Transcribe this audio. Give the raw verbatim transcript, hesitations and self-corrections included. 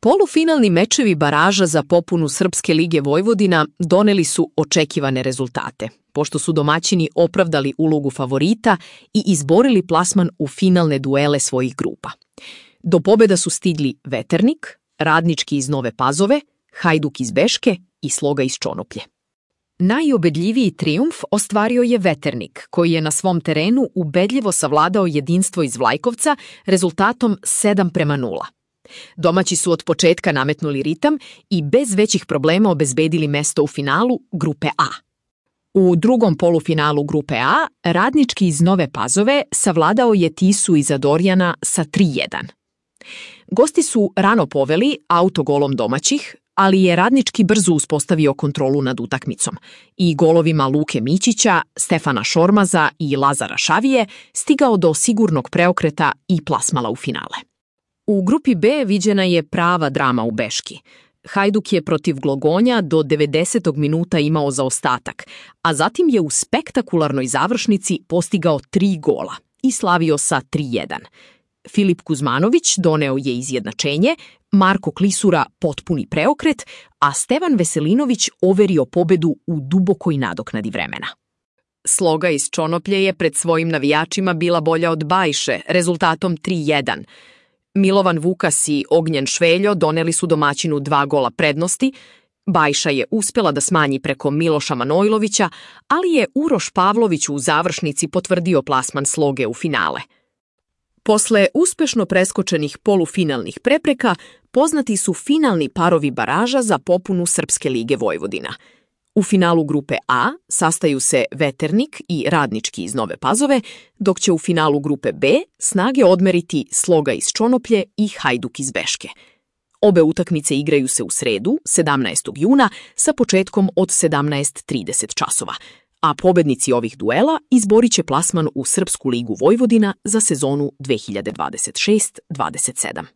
Polufinalni mečevi baraža za popunu Srpske lige Vojvodina doneli su očekivane rezultate, pošto su domaćini opravdali ulogu favorita i izborili plasman u finalne duele svojih grupa. Do pobjeda su stigli Veternik, Radnički iz Nove Pazove, Hajduk iz Beške i Sloga iz Čonoplje. Najubedljiviji trijumf ostvario je Veternik, koji je na svom terenu ubedljivo savladao Jedinstvo iz Vlajkovca rezultatom sedam prema nula. Domaći su od početka nametnuli ritam i bez većih problema obezbedili mesto u finalu Grupe A. U drugom polufinalu Grupe A, Radnički iz Nove Pazove savladao je Tisu iz Adorjana sa tri jedan. Gosti su rano poveli autogolom domaćih, ali je Radnički brzo uspostavio kontrolu nad utakmicom i golovima Luke Mićića, Stefana Šormaza i Lazara Šavije stigao do sigurnog preokreta i plasmala u finale. U grupi B viđena je prava drama u Beški. Hajduk je protiv Glogonja do devedesetog minuta imao zaostatak, a zatim je u spektakularnoj završnici postigao tri gola i slavio sa tri jedan. Filip Kuzmanović doneo je izjednačenje, Marko Klisura potpuni preokret, a Stevan Veselinović overio pobedu u dubokoj nadoknadi vremena. Sloga iz Čonoplje je pred svojim navijačima bila bolja od Bajše, rezultatom tri jedan. Milovan Vukas i Ognjen Šveljo doneli su domaćinu dva gola prednosti, Bajša je uspjela da smanji preko Miloša Manojlovića, ali je Uroš Pavlović u završnici potvrdio plasman Sloge u finale. Posle uspešno preskočenih polufinalnih prepreka, poznati su finalni parovi baraža za popunu Srpske lige Vojvodina. U finalu Grupe A sastaju se Veternik i Radnički iz Nove Pazove, dok će u finalu Grupe B snage odmeriti Sloga iz Čonoplje i Hajduk iz Beške. Obe utakmice igraju se u sredu, sedamnaestog juna, sa početkom od sedamnaest trideset časova, a pobednici ovih duela izborit će plasman u Srpsku ligu Vojvodina za sezonu dve hiljade dvadeset šest dvadeset sedam.